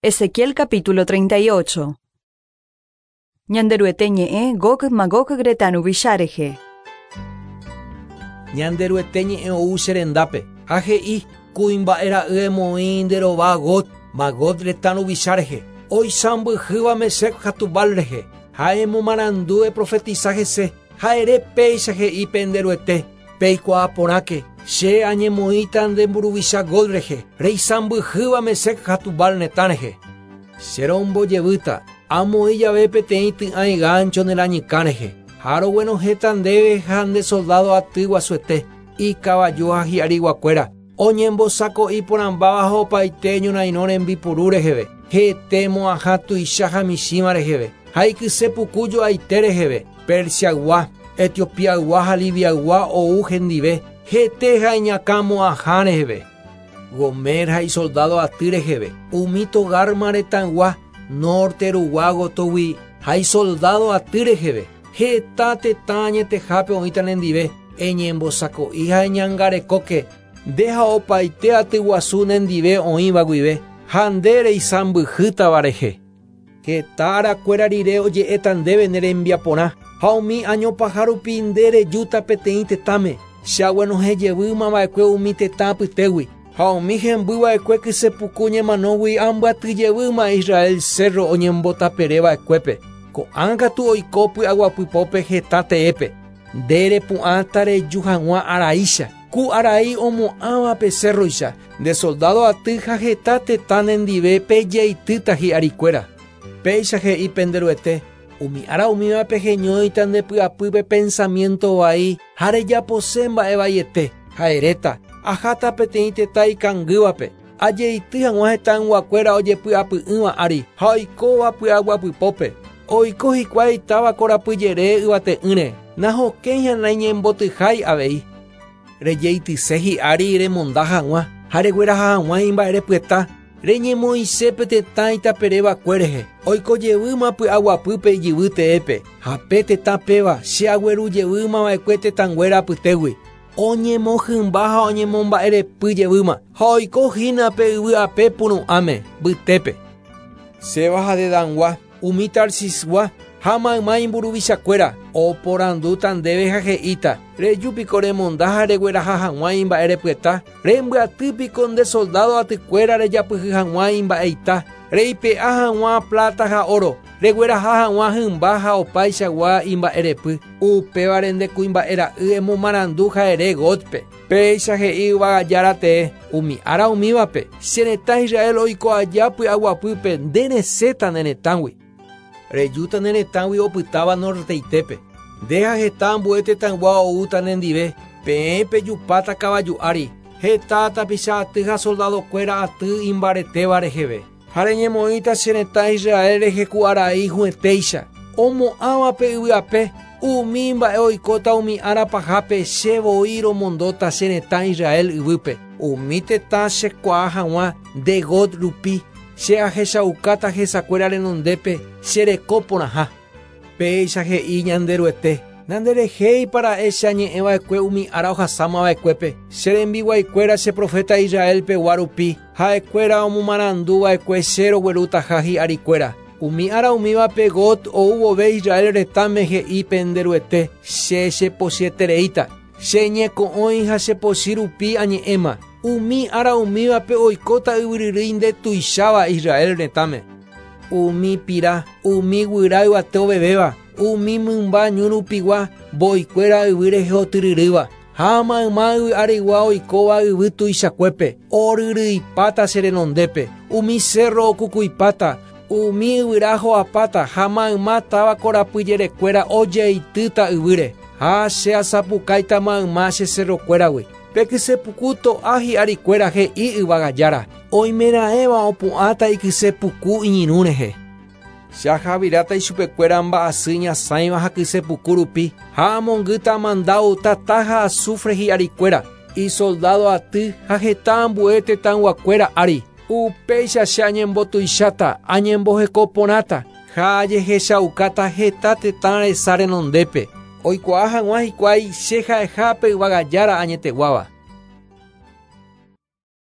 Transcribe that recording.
Ezequiel capítulo 38. Ñanderuete ñe'ẽ Gog Magog retã ruvicha rehe. Ñanderuete ñe'ẽ ou che rendápe, ha he'i, Kuimba'e ra'y emoĩ nde rova Gog, Magog retã ruvicha rehe, oisãmbyhýva Mesec ha Tubal rehe, ha emomarandu eprofetisa hese, ha ere péicha he'i pende Ruete, Peikuaa porãke, che añemoĩta nde mburuvicha Gog rehe, reisãmbyhýva Mesec ha Tubal retã rehe. Che rombojevýta, amoĩ jave peteĩ ty'ãi gáncho ne rañykã rehe, ha roguenohẽta ndéve ha nde soldádo aty guasuete, ikavaju ha hi'ariguakuéra, oñembosako'i porãmbáva ha opaite ñorairõ rembipuru reheve, hete mo'ãha tuicha ha michĩva reheve, ha ikyse puku jo'aite reheve, Persiaygua, Etiopiaygua ha Libiaygua ou hendive, hete ha iñakã mo'ãha reheve. Gomer ha isoldádo aty reheve, umi Togarma retãygua, nórte rugua gotyogui ha isoldádo aty reheve, heta tetã añetehápe oĩta nendive, eñembosako'i ha eñangarekóke, nde ha opaite aty guasu nendive oĩva guive, ha nde reisãmbyhýtava rehe. Heta arakuéra rire oje'éta ndéve ne rembiaporã, ha umi áño paha rupi nde rejúta peteĩ tetãme, che aguenohẽ jevýma va'ekue umi tetã apytégui, ha umi hemby va'ekue kyse puku ñemanógui ambyaty jevýma Israel cérro oñembotapere va'ekuépe. Ko'ág̃a katu oiko py'aguapypópe heta teépe. Nde repu'ãta reju hag̃ua araícha, ku arai omo'ãva pe cérroicha, nde soldádo aty ha heta tetã nendive pejeitýta hi'arikuéra. Péicha he'i pende Ruete, Umi ára umíva peheñóita nde py'apýpe pensamiénto vai ha rejapose mba'e vaiete, ha eréta, Aháta peteĩ tetã ikangývape, ajeity hag̃ua hetãyguakuéra ojepy'apy'ỹva ári ha oikóva py'aguapypópe. Oiko hikuái táva korapyjere yvate'ỹre, nahokẽi ha naiñembotyhái avei. Rejeityse hi'ári remonda hag̃ua ha regueraha hag̃ua imba'erepyeta, reñemoĩse pe tetã itaperevakue rehe, oiko jevýma py'aguapýpe ijyvy teépe, ha pe tetã péva che agueru jevýma va'ekue tetãnguéra apytégui. Oñemohymba ha oñemomba'erepy jevýma, ha oiko hína pe yvy ape puru'ãme, mbytépe. Seba ha Dedangua, umi Tarsisgua, ha mayma imburuvichakuéra, oporandúta ndéve ha he'íta, Reju piko remonda ha regueraha hag̃ua imba'erepyeta? Rembyaty piko nde soldádo atykuéra rejapyhy hag̃ua imba'eita, reipe'a hag̃ua pláta ha óro, regueraha hag̃ua hymba ha opaichagua imba'erepy? Upévare nde kuimba'e ra'y emomarandu ha ere Gótpe, Péicha he'i yvága Jára tee, umi ára umívape, che retã Israel oiko aja py'aguapýpe nde resẽta ne retãgui. Rejúta ne retãgui opytáva norteitépe. Nde ha heta ambue tetãygua oúta nendive, peẽ pejupáta kavaju ári, heta tapicha aty ha soldadokuéra aty imbaretéva reheve. Ha reñemoĩta che retã Israel rehe ku arai hũetéicha, omo'ãva pe yvy ape, umi mba'e oikóta umi ára pahápe che voi romondóta che retã Israel yvýpe, umi tetã che kuaa hag̃ua nde Gog rupi, che ahechaukáta hesakuéra renondépe che reko porãha. Péicha he'i Ñanderuete, Nanderehéipa ra'e che añe'ẽ va'ekue umi ára ohasáma va'ekuépe, che rembiguaikuéra che proféta Israel pegua rupi, ha'ekuéra omomarandu va'ekue che roguerutaha hi'arikuéra. Umi ára umívape Gog ou vove Israel retãme he'i pende Ruete, Che chepochyetereíta, che ñeko'õi ha che pochy rupi añe'ẽma. Umi ára umívape oikóta yvyryrýi ndetuicháva Israel retãme. Umi pira, umi guyra yvate ovevéva, umi mymba ñu rupigua, mboikuéra yvy rehe otyryrýva, ha mayma yvy arigua oikóva yvy tuichakuépe, oryryipáta che renondépe, umi sérro okukuipáta, umi yvyra ho'apáta ha mayma táva korapy jerekuéra ojeitýta yvýre, ha che asapukáita mayma che serrokuéragui. Pe kyse puku to'a hi'arikuéra he'i yvága Jára, oimeraẽva opu'ãta ikyse puku iñirũ rehe. Che ahaviráta ichupekuéra mba'asy ñasãiva ha kyse puku rupi, ha amongýta amandáu tata ha asúfre hi'arikuéra, isoldádo aty ha heta ambue tetãyguakuéra ári. Upéicha che añembotuicháta, añemboheko porãta, ha ajehechaukáta heta tetã resa renondépe, oikuaa hag̃ua hikuái che ha'eha pe yvága Jára añeteguáva.